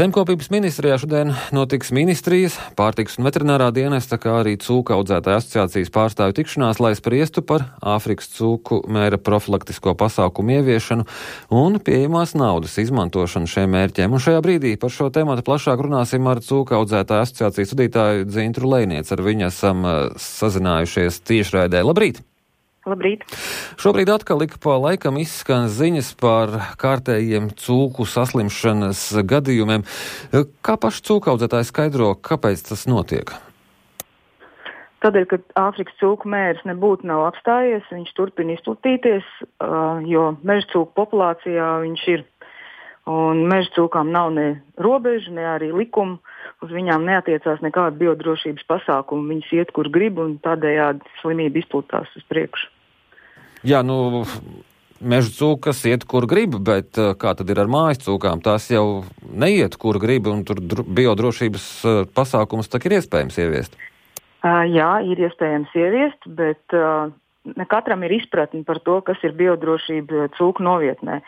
Zemkopības ministrijā šodien notiks ministrijas, pārtikas un veterinārā dienesta, kā arī cūku audzētāju asociācijas pārstāvju tikšanās, lai spriestu par Āfrikas cūku mēra profilaktisko pasākumu ieviešanu un pieejamās naudas izmantošanu šiem mērķiem. Un šajā brīdī par šo tēmatu plašāk runāsim ar cūku audzētāju asociācijas vadītāju Dzintru Lejnieci. Ar viņu esam sazinājušies tiešraidē. Labrīt! Labrīt! Šobrīd atkal ik pa laikam izskan ziņas par kārtējiem cūku saslimšanas gadījumiem. Kā paši cūkaudzētāji skaidro, kāpēc tas notiek? Tādēļ, ka Āfrikas cūku mērs nebūtu nav apstājies, viņš turpina izplatīties, jo meža cūku populācijā viņš ir. Un meža cūkām nav ne robežu, ne arī likumu, uz viņām neatiecās nekāda biodrošības pasākuma. Viņas iet, kur grib, un tādējādi slimība izplatās uz priekšu. Jā, meža cūkas iet, kur grib, bet kā tad ir ar mājas cūkām? Tās jau neiet, kur grib, un tur biodrošības pasākums tak ir iespējams ieviest? Jā, ir iespējams ieviest, bet ne katram ir izpratni par to, kas ir biodrošība cūku novietnē.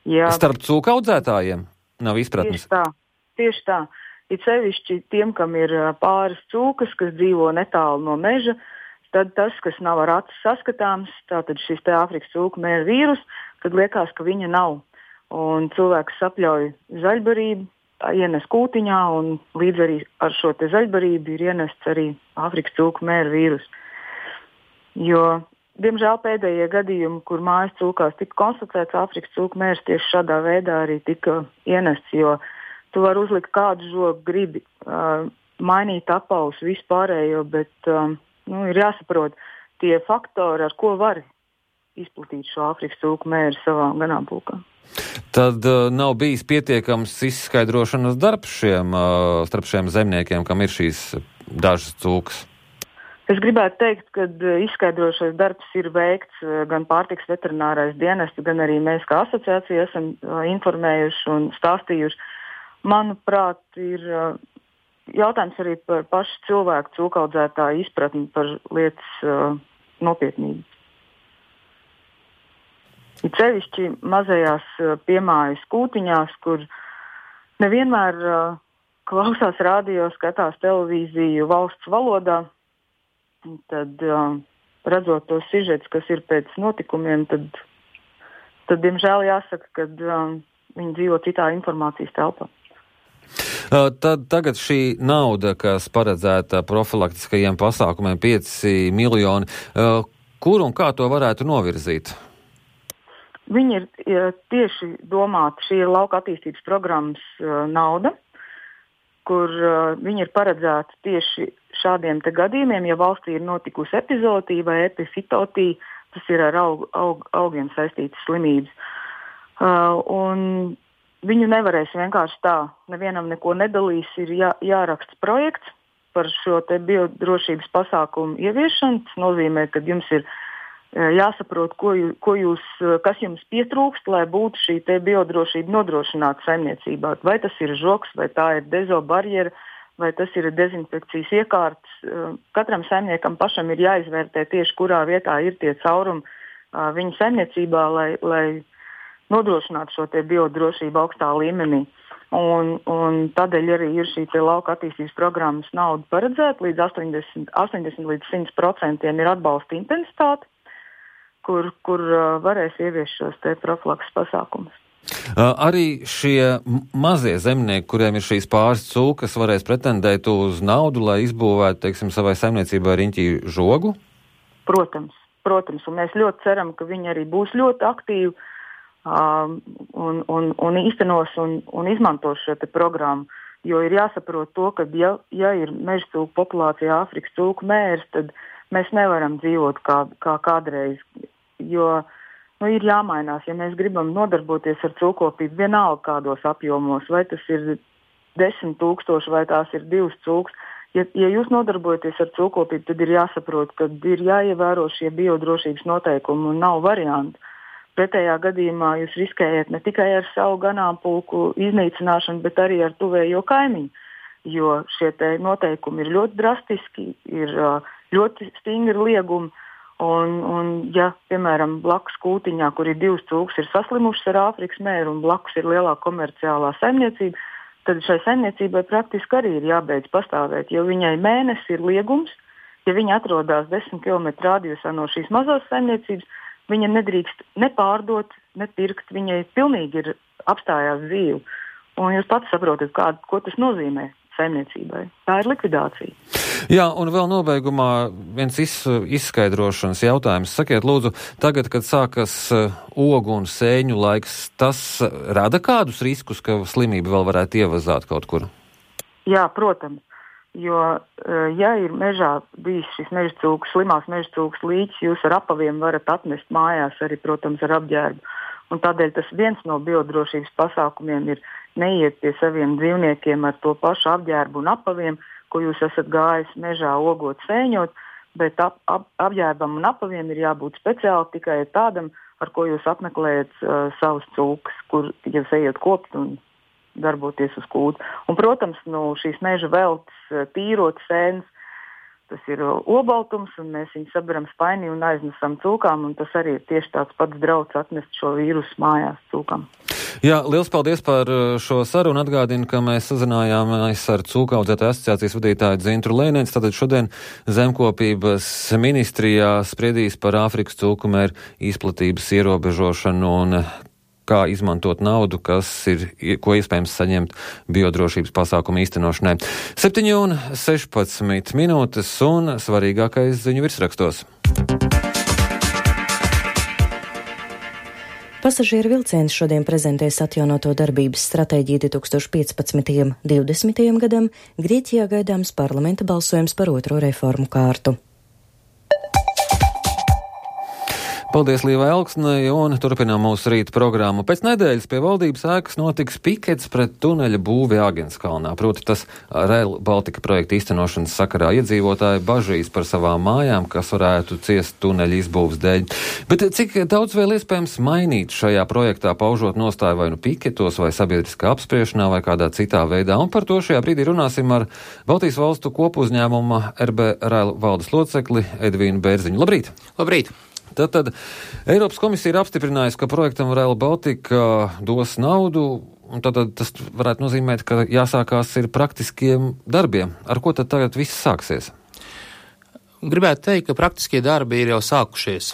Ja starp cūku audzētājiem nav izpratnes? Tieši tā. Ir sevišķi tiem, kam ir pāris cūkas, kas dzīvo netālu no meža, tad tas, kas nav ar acis saskatāms, tātad šis te Āfrikas cūku mēra vīrus, tad liekas, ka viņa nav. Un cilvēks sapļauj zaļbarību, ienes kūtiņā, un līdz arī ar šo te zaļbarību ir ienests arī Āfrikas cūku mēra vīrus. Jo diemžēl pēdējie gadījumi, kur mājas cūkās tika konstatēts Āfrikas cūku mērs, tieši šādā veidā arī tika ienests, jo tu vari uzlikt kādu žogu, gribi mainīt apavus, vispārējo, bet ir jāsaprot tie faktori, ar ko var izplatīt šo Āfrikas cūku mēru savā ganāmpulkā. Tad nav bijis pietiekams izskaidrošanas darbs starp šiem zemniekiem, kam ir šīs dažas cūkas? Es gribētu teikt, ka izskaidrošais darbs ir veikts gan pārtikas veterinārais dienests, gan arī mēs kā asociācija esam informējuši un stāstījuši. Manuprāt, ir jautājums arī par pašu cilvēku cūkaudzētāju izpratni par lietas nopietnību. Ir sevišķi mazajās piemājas kūtiņās, kur nevienmēr klausās radio, skatās televīziju valsts valodā. Tad, redzot tos sižets, kas ir pēc notikumiem, tad diemžēl jāsaka, ka viņi dzīvo citā informācijas telpā. Tad tagad šī nauda, kas paredzēta profilaktiskajiem pasākumiem, 5 miljoni, kur un kā to varētu novirzīt? Viņi ir tieši domāti, šī ir lauka attīstības programmas nauda, kur viņi ir paredzēti tieši šādiem te gadījumiem, ja valstī ir notikusi epizootīja vai epifitotija, tas ir ar augiem saistītas slimības. Un viņu nevarēs vienkārši tā, nevienam neko nedalīs, ir jāraksta projekts par šo te biodrošības pasākumu ieviešanu. Tas nozīmē, ka jums ir jāsaprot, kas jums pietrūkst, lai būtu šī te biodrošība nodrošināta saimniecībā. Vai tas ir žoks, vai tā ir dezobarjera, vai tas ir dezinfekcijas iekārtas. Katram saimniekam pašam ir jāizvērtē tieši, kurā vietā ir tie caurumi viņa saimniecībā, lai nodrošinātu šo te biodrošību augstā līmenī. Un tādēļ arī ir šī te lauka attīstības programmas nauda paredzēta, līdz 80 līdz 100% ir atbalsta intensitāte, kur varēs ieviest šos te profilakses pasākumus. Arī šie mazie zemnieki, kuriem ir šīs pāris cūkas, varēs pretendēt uz naudu, lai izbūvētu, teiksim, savai saimniecībai riņķī žogu? Protams, un mēs ļoti ceram, ka viņi arī būs ļoti aktīvi un īstenos un izmantos šo te programmu, jo ir jāsaprot to, ka ja ir meža cūku populācijā Āfrikas cūku mērs, tad mēs nevaram dzīvot kā kādreiz, jo ir jāmainās, ja mēs gribam nodarboties ar cūkopību vienalga kādos apjomos, vai tas ir 10 000 vai tās ir 2 cūkas. Ja jūs nodarbojaties ar cūkopību, tad ir jāsaprot, ka ir jāievēro šie biodrošības noteikumi un nav variantu. Pretējā gadījumā jūs riskējat ne tikai ar savu ganāmpulku iznīcināšanu, bet arī ar tuvējo kaimiņu, jo šie te noteikumi ir ļoti drastiski, ir ļoti stingri liegumi. Un ja, piemēram, blakus kūtiņā, kur ir 2 cūkas, ir saslimušas ar Āfrikas mēru un blakus ir lielā komerciālā saimniecība, tad šai saimniecībai praktiski arī ir jābeidz pastāvēt, jo viņai mēnesi ir liegums. Ja viņa atrodas 10 km radiusā no šīs mazās saimniecības, viņa nedrīkst ne pārdot, ne pirkt, viņai pilnīgi ir apstājās dzīve. Un jūs pats saprotat, ko tas nozīmē saimniecībai. Tā ir likvidācija. Jā, un vēl nobeigumā viens izskaidrošanas jautājums. Sakiet, lūdzu, tagad, kad sākas ogu un sēņu laiks, tas rada kādus riskus, ka slimība vēl varētu ievazāt kaut kur? Jā, protams. Jo, ja ir mežā bijis šis mežcūks, slimās mežcūks līķis, jūs ar apaviem varat atnest mājās arī, protams, ar apģērbu. Un tādēļ tas viens no biodrošības pasākumiem ir neiet pie saviem dzīvniekiem ar to pašu apģērbu un apaviem, ko jūs esat gājis mežā ogot, sēņot, bet apģērbam un apaviem ir jābūt speciāli tikai tādam, ar ko jūs apmeklējat savus cūkas, kur jūs ejat kopt un darboties uz kūdu. Un, protams, šīs meža veltes, tīrot sēnes, tas ir obaltums, un mēs viņu saberam spainī un aiznesam cūkām, un tas arī ir tieši tāds pats drauds atnest šo vīrusu mājās cūkām. Jā, liels paldies par šo sarunu. Atgādinu, ka mēs sazinājāmies ar Cūku audzētāju asociācijas vadītāju Dzintru Lēnēns. Tātad šodien Zemkopības ministrijā spriedīs par Āfrikas cūku mēru izplatības ierobežošanu un kā izmantot naudu, ko iespējams saņemt biodrošības pasākumu īstenošanai. 7:16 minūtes un svarīgākais ziņu virsrakstos. Pasažieru vilciens šodien prezentēs atjaunoto darbības stratēģiju 2015–2020 gadam. Grieķijā gaidāms parlamenta balsojums par otro reformu kārtu. Paldies Līvai Elksnei un turpinām mūsu rīta programmu. Pēc nedēļas pie valdības ēkas notiks pikets pret tuneļa būvi Āgenskalnā. Proti tas Rail Baltica projekta īstenošanas sakarā iedzīvotāji bažīs par savām mājām, kas varētu ciest tuneļa izbūves dēļ. Bet cik daudz vēl iespējams mainīt šajā projektā, paužot nostāju vai nu piketos, vai sabiedriskā apspriešanā, vai kādā citā veidā? Un par to šajā brīdī runāsim ar Baltijas valstu kopuzņēmuma RB Rail valdes locekli Edvīnu Bērziņu. Labrīt! Labrīt! Tad Eiropas komisija ir apstiprinājusi, ka projektam Rail Baltica dos naudu, un tad tas varētu nozīmēt, ka jāsākās ir praktiskiem darbiem. Ar ko tad tagad viss sāksies? Gribētu teikt, ka praktiskie darbi ir jau sākušies.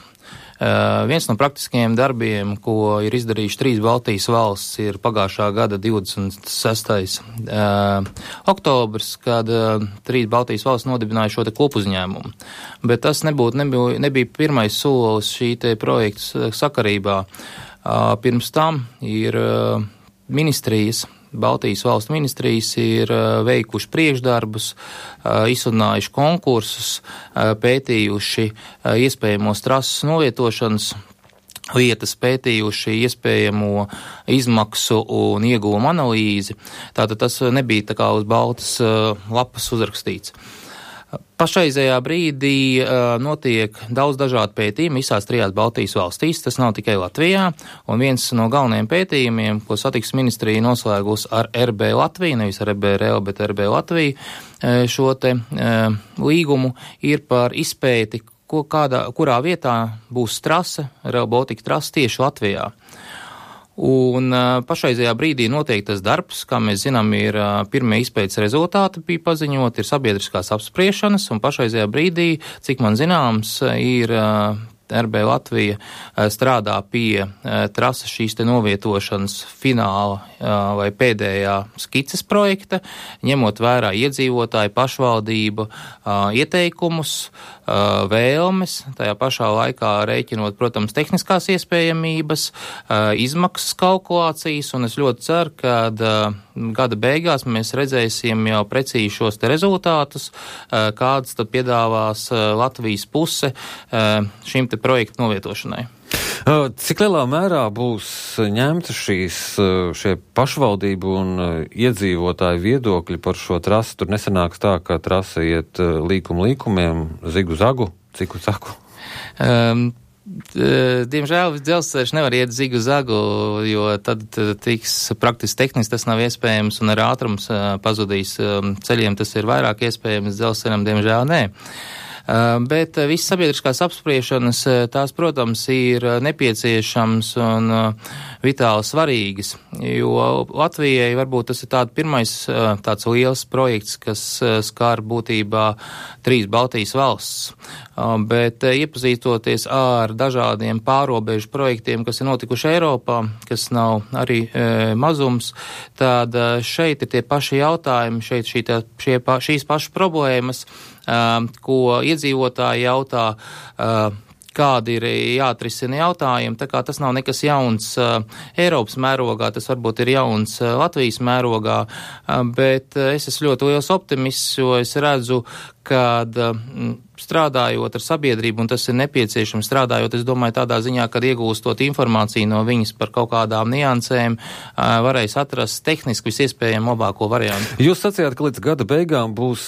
Viens no praktiskajiem darbiem, ko ir izdarījuši 3 Baltijas valsts, ir pagājušā gada 26. Oktobrs, kad 3 Baltijas valsts nodibināja šo te kopuzņēmumu. Bet tas nebija pirmais solis šī te projekta sakarībā. Pirms tam ir ministrijas, Baltijas valstu ministrijas ir veikuši priekšdarbus, izsludinājuši konkursus, pētījuši iespējamos trases novietošanas vietas, pētījuši iespējamo izmaksu un ieguvumu analīzi. Tātad tas nebija tā kā uz baltas lapas uzrakstīts. Pašreizējā brīdī notiek daudz dažādu pētījumu visās 3 Baltijas valstīs, tas nav tikai Latvijā, un viens no galvenajiem pētījumiem, ko satiksmes ministrija noslēgus ar RB Latviju, nevis ar RB Rail, bet RB Latviju, šo te līgumu ir par izpēti, kurā vietā būs trase, Rail Baltica trase tieši Latvijā. Un pašreizajā brīdī notiek tas darbs, kā mēs zinām, ir pirmie izpētes rezultāti bija paziņot, ir sabiedriskās apspriešanas, un pašreizajā brīdī, cik man zināms, ir RB Latvija strādā pie trases šīs te novietošanas fināla vai pēdējā skices projekta, ņemot vērā iedzīvotāju pašvaldību ieteikumus, vēlmes, tajā pašā laikā rēķinot, protams, tehniskās iespējamības, izmaksas kalkulācijas, un es ļoti ceru, ka gada beigās mēs redzēsim jau precīzi šos te rezultātus, kādas tad piedāvās Latvijas puse šim te projektu novietošanai. Cik lielā mērā būs ņemta šie pašvaldību un iedzīvotāju viedokļi par šo trasi? Tur nesanāks tā, ka trase iet līkumiem, zigu zagu, ciku zagu? Diemžēl dzelzceļš nevar iet zigu zagu, jo tad tiks praktiski tehniski tas nav iespējams un ar ātrums pazudīs. Ceļiem tas ir vairāk iespējams, dzelzceļam diemžēl nē. Bet viss sabiedriskās apspriešanas, tās, protams, ir nepieciešams un vitāli svarīgas, jo Latvijai varbūt tas ir pirmais tāds liels projekts, kas skar būtībā 3 Baltijas valsts. Bet iepazīstoties ar dažādiem pārobežu projektiem, kas ir notikuši Eiropā, kas nav arī mazums, tad šeit ir tie paši jautājumi, šīs pašas problēmas, ko iedzīvotāji jautā, kādi ir jāatrisina jautājumi, tā kā tas nav nekas jauns Eiropas mērogā, tas varbūt ir jauns Latvijas mērogā, bet es esmu ļoti liels optimists, jo es redzu, kad strādājot ar sabiedrību, un tas ir nepieciešams strādājot, es domāju, tādā ziņā, kad iegūstot informāciju no viņas par kaut kādām niansēm, varēs atrast tehniski visiespējami labāko variantu. Jūs sacījāt, ka līdz gada beigām būs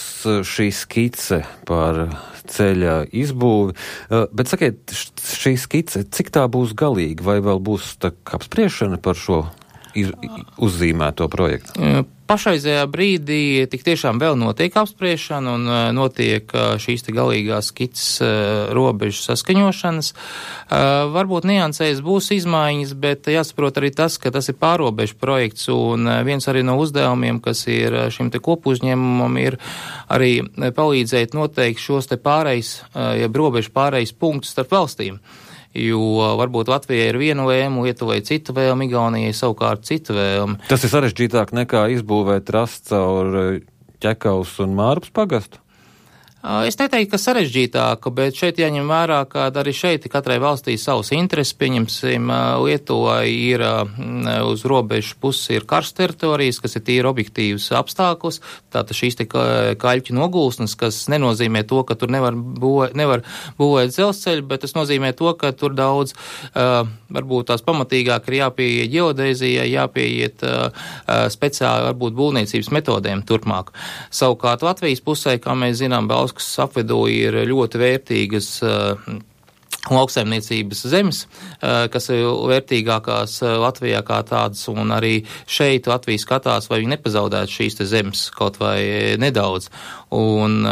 šī skice par ceļa izbūvi, bet sakiet, šī skice, cik tā būs galīga, vai vēl būs tā apspriešana par šo uzzīmēto projektu? Pašreizējā brīdī tik tiešām vēl notiek apspriešana un notiek šīs te galīgās skices robežu saskaņošanas. Varbūt niansēs būs izmaiņas, bet jāsaprot arī tas, ka tas ir pārobežu projekts un viens arī no uzdevumiem, kas ir šim te kopuzņēmumam, ir arī palīdzēt noteikt šos te robežu pārejas punktus starp valstīm. Jo varbūt Latvijai ir viena vēlme, Lietuvai citu vēlme, Igaunijai savukārt citu vēlme. Tas ir sarežģītāk nekā izbūvēt trasu caur Ķekavas un Mārpas pagastu? Es neteiktu, ka sarežģītāka, bet šeit jāņem vērā, ka arī šeit katrai valstī savas intereses, pieņemsim, Lietuvai ir uz robežu puses ir karsts teritorijas, kas ir tīri objektīvs apstākļus, tātad šīs te kaļķu nogulsnes, kas nenozīmē to, ka tur nevar būvēt dzelzceļu, bet tas nozīmē to, ka tur daudz, varbūt tās pamatīgāk ir jāpieiet ģeodēzijai, jāpieiet speciāli varbūt būvniecības metodēm turpmāk. Savukārt Latvijas pusē, kā mēs zinām, kas apvidū ir ļoti vērtīgas lauksaimniecības zemes, kas ir vērtīgākās Latvijā kā tādas, un arī šeit Latvija skatās, vai viņi nepazaudētu šīs te zemes kaut vai nedaudz. Un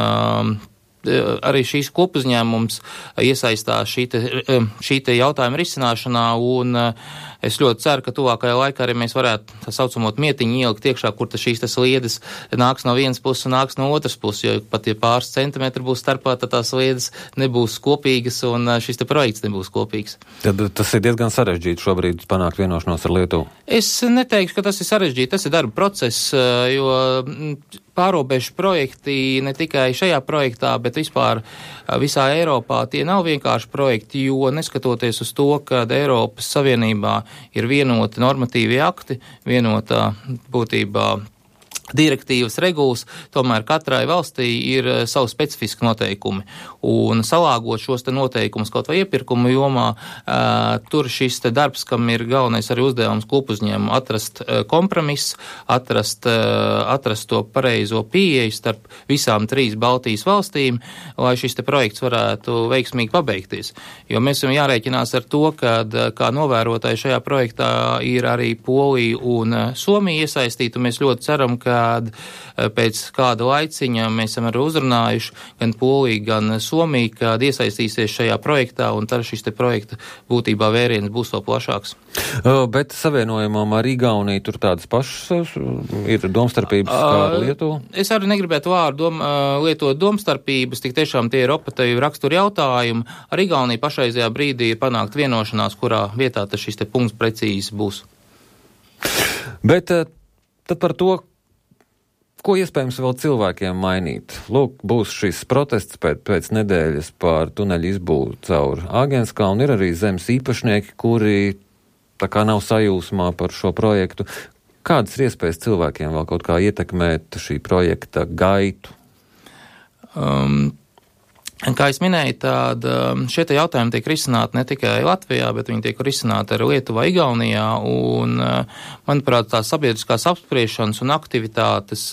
arī šīs kopuzņēmums iesaistās šī te jautājuma risināšanā, un es ļoti ceru, ka tuvākajā laikā arī mēs varētu tā saucamot mietiņu ielikt iekšā, kur šīs tas sliedes nāks no vienas puses un nāks no otras puses, jo pat ja pāris centimetri būs starpā, tad tās sliedes nebūs kopīgas un šis te projekts nebūs kopīgs. Tad tas ir diezgan sarežģīti šobrīd panākt vienošanos ar Lietuvu. Es neteikšu, ka tas ir sarežģīti, tas ir darba process, jo pārobežu projekti ne tikai šajā projektā, bet vispār visā Eiropā tie nav vienkārši projekti, jo neskatoties uz to, ka Eiropas Savienībā ir vienoti normatīvi akti, vienotā būtībā direktīvas regulas, tomēr katrai valstī ir savu specifiski noteikumi. Un salāgot šos te noteikumus kaut vai iepirkumu jomā, tur šis te darbs, kam ir galvenais arī uzdevums kopuzņēmumu, atrast kompromisu, atrast to pareizo pieeju starp visām 3 Baltijas valstīm, lai šis te projekts varētu veiksmīgi pabeigties. Jo mēs esam jārēķinās ar to, ka kā novērotāji šajā projektā ir arī Polija un Somija iesaistīti, un mēs ļoti ceram, ka pēc kāda laiciņa mēs esam arī uzrunājuši gan Poliju, gan Somiju, kad iesaistīsies šajā projektā, un tad šis te projekta būtībā vēriens būs vēl plašāks. Bet savienojumam ar Igauniju tur tādas pašas ir domstarpības kā ar Lietuvu? Es arī negribētu lietot domstarpības, tik tiešām tie ir operatīvi rakstura jautājumi. Ar Igauniju pašreizajā brīdī ir panākt vienošanās, kurā vietā tas šis te punkts precīzi būs. Bet tad par to, ko iespējams vēl cilvēkiem mainīt? Lūk, būs šis protests pēc nedēļas par tuneļu izbūvi caur Āgenskalnu. Ir arī zemes īpašnieki, kuri tā kā nav sajūsmā par šo projektu. Kādas ir iespējas cilvēkiem vēl kaut kā ietekmēt šī projekta gaitu? Kā es minēju, tad šie jautājumi tiek risināti ne tikai Latvijā, bet viņi tiek risināti arī Lietuvā, Igaunijā, un, manuprāt, tās sabiedriskās apspriešanas un aktivitātes,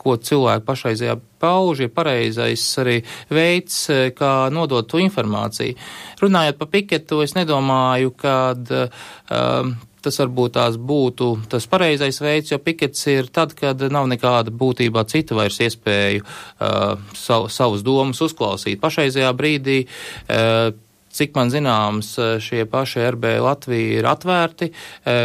ko cilvēki pašreizējā pauž, ir pareizais arī veids, kā nodot to informāciju. Runājot par piketu, es nedomāju, ka tas varbūt tās būtu tas pareizais veids, jo pikets ir tad, kad nav nekāda būtībā cita vairs iespēju savus domas uzklausīt. Pašreizajā brīdī, cik man zināms, šie paši RB Latvija ir atvērti,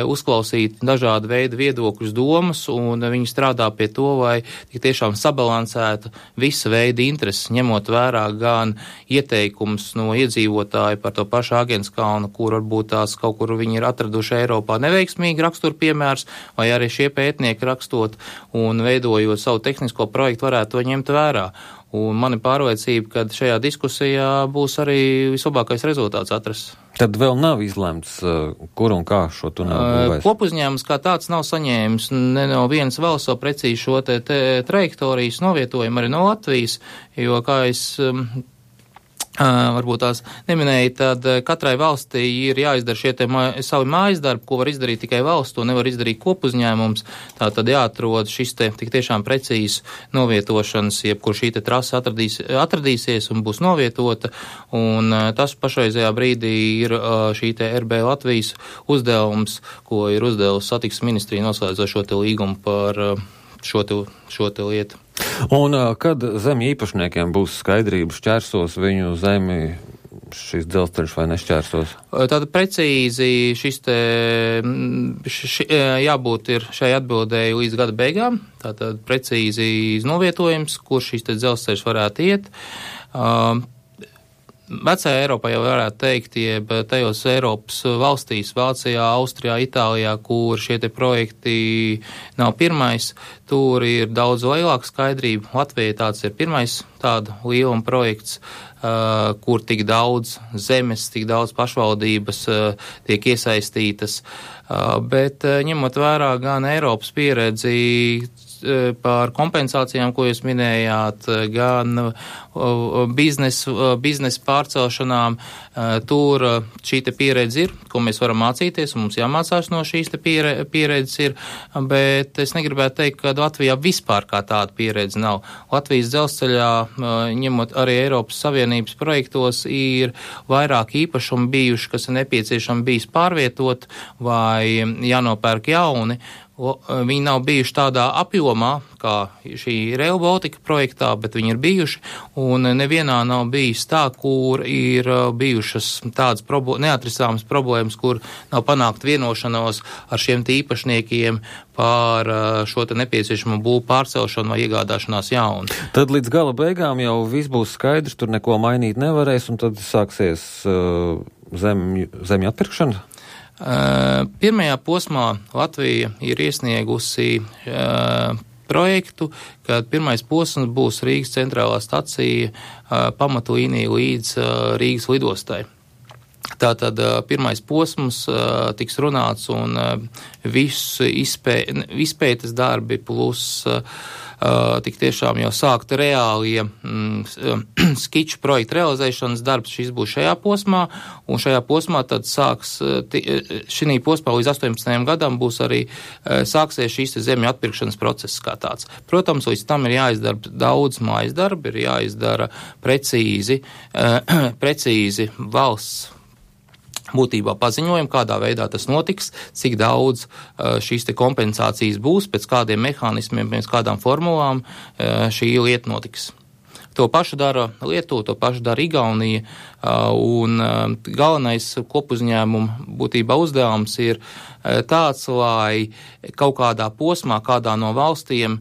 uzklausīt dažādu veidu viedokļus, domas, un viņi strādā pie to, lai tik tiešām sabalansētu visa veida intereses, ņemot vērā gan ieteikums no iedzīvotāju par to pašu Agenskalnu, kur varbūt tās kaut kur viņi ir atraduši Eiropā neveiksmīgi rakstur piemērs, vai arī šie pētnieki rakstot un veidojot savu tehnisko projektu varētu to ņemt vērā. Un man ir pārliecība, ka šajā diskusijā būs arī vislabākais rezultāts atrasts. Tad vēl nav izlemts, kur un kā šo tuneli būvēs? Kopuzņēmums kā tāds nav saņēmis ne no vienas valsts vēl precīzi šo te trajektorijas novietojumu arī no Latvijas, jo, kā es varbūt tās neminēja, tad katrai valstī ir jāizdara šie savi mājas darbi, ko var izdarīt tikai valsts, to nevar izdarīt kopuzņēmums. Tā tad jāatrod šis te tik tiešām precīzi novietošanas, jebkur šī te trasa atradīsies un būs novietota, un tas pašreizajā brīdī ir šī te RB Latvijas uzdevums, ko ir uzdevusi satiksmes ministrija noslēdzot šo te līgumu par šo te lietu. Un kad zemju īpašniekiem būs skaidrība, šķērsos viņu zemi šis dzelzceļš vai nešķērsos? Tātad precīzi šis te jābūt ir šai atbildēji līdz gada beigām. Tātad precīzi novietojums, kur šis te dzelzceļš varētu iet. Vecajā Eiropā jau varētu teikt, jeb tajos Eiropas valstīs, Vācijā, Austrijā, Itālijā, kur šie te projekti nav pirmais, tur ir daudz lielāka skaidrība. Latvijai tāds ir pirmais tāda lieluma projekts, kur tik daudz zemes, tik daudz pašvaldības tiek iesaistītas, bet ņemot vērā gan Eiropas pieredzi par kompensācijām, ko jūs minējāt, gan biznesa pārcelšanām, tur šī te pieredze ir, ko mēs varam mācīties, un mums jāmācās no šīs te pieredzes ir, bet es negribētu teikt, ka Latvijā vispār kā tāda pieredze nav. Latvijas dzelzceļā, ņemot arī Eiropas Savienības projektos, ir vairāk īpašumi bijuši, kas ir nepieciešami bijis pārvietot vai jānopērk jauni. Viņi nav bijuši tādā apjomā, kā šī Rail Baltica projektā, bet viņi ir bijuši, un nevienā nav bijis tā, kur ir bijušas tādas neatrisāmas problēmas, kur nav panākt vienošanos ar šiem īpašniekiem par šo te nepieciešamo būvu pārcelšanu vai iegādāšanās jaunu. Tad līdz gala beigām jau viss būs skaidrs, tur neko mainīt nevarēs, un tad sāksies zemju atpirkšana? Pirmajā posmā Latvija ir iesniegusi projektu, kad pirmais posms būs Rīgas centrālā stacija pamatlīnija līdz Rīgas lidostai. Tātad pirmais posms tiks runāts un viss izpētes darbi plus tik tiešām jau sākt reālie skiču projektu realizēšanas darbs, šis būs šajā posmā, un šajā posmā tad šī posmā līdz 18. gadam būs arī sāksies šīs zemju atpirkšanas process kā tāds. Protams, līdz tam ir jāizdara daudz mājas darbi, ir jāizdara precīzi valsts būtībā paziņojumu, kādā veidā tas notiks, cik daudz šīs te kompensācijas būs, pēc kādiem mehānismiem, pēc kādām formulām šī lieta notiks. To pašu dara Lietuva, to pašu dara Igaunija, un galvenais kopuzņēmuma būtībā uzdevums ir tāds, lai kaut kādā posmā, kādā no valstīm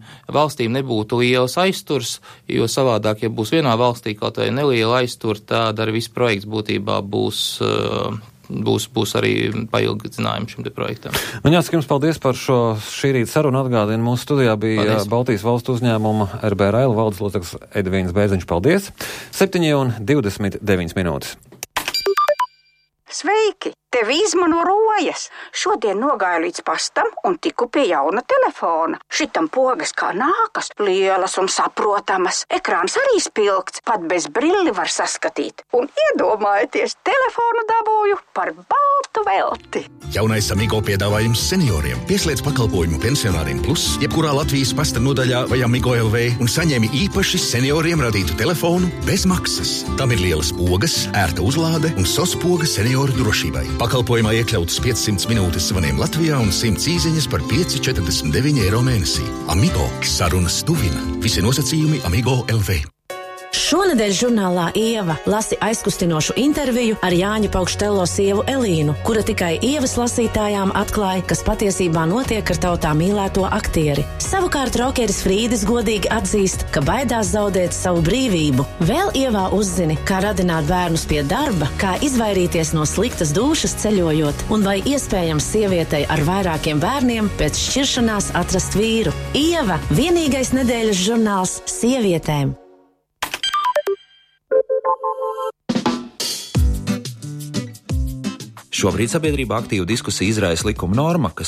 nebūtu liels aizturs, jo savādāk, ja būs vienā valstī kaut vai neliela aiztur, tad arī viss projekts būtībā būs arī pailgdzinājumi šim te projektam. Man jāsaka jums paldies par šī rīta sarunu. Atgādinu, mūsu studijā bija paldies. Baltijas valstu uzņēmuma RB Rail valdes loceklis Edvīns Bēziņš. Paldies! 7:29 minūtes. Sveiki! Tevi izmano rojas. Šodien nogāju līdz pastam un tiku pie jauna telefona. Šitam pogas kā nākas, lielas un saprotamas. Ekrāns arī spilgts, pat bez brilli var saskatīt. Un iedomājieties, telefonu dabūju par baltu velti. Jaunais Amigo piedāvājums senioriem. Pieslēdz pakalpojumu pensionāriem plus, jebkurā Latvijas pasta nodaļā vai Amigo LV un saņemi īpaši senioriem radītu telefonu bez maksas. Tam ir lielas pogas, ērta uzlāde un SOS poga senioru drošībai. Pakalpojumā iekļautas 500 minūtes zvaniem Latvijā un 100 īsiņas par 5,49 eiro mēnesī. Amigo. Sarunas tuvina. Visi nosacījumi Amigo LV. Šonedēļ žurnālā Ieva lasi aizkustinošu interviju ar Jāņa Paukštelo sievu Elīnu, kura tikai Ievas lasītājām atklāja, kas patiesībā notiek ar tautā mīlēto aktieri. Savukārt rokeris Frīdis godīgi atzīst, ka baidās zaudēt savu brīvību. Vēl Ievā uzzini, kā radināt bērnus pie darba, kā izvairīties no sliktas dūšas ceļojot, un vai iespējams sievietei ar vairākiem bērniem pēc šķiršanās atrast vīru. Ieva – vienīgais nedēļas žurnāls sievietēm. Šobrīd sabiedrībā aktīvu diskusiju izraisa likuma norma, kas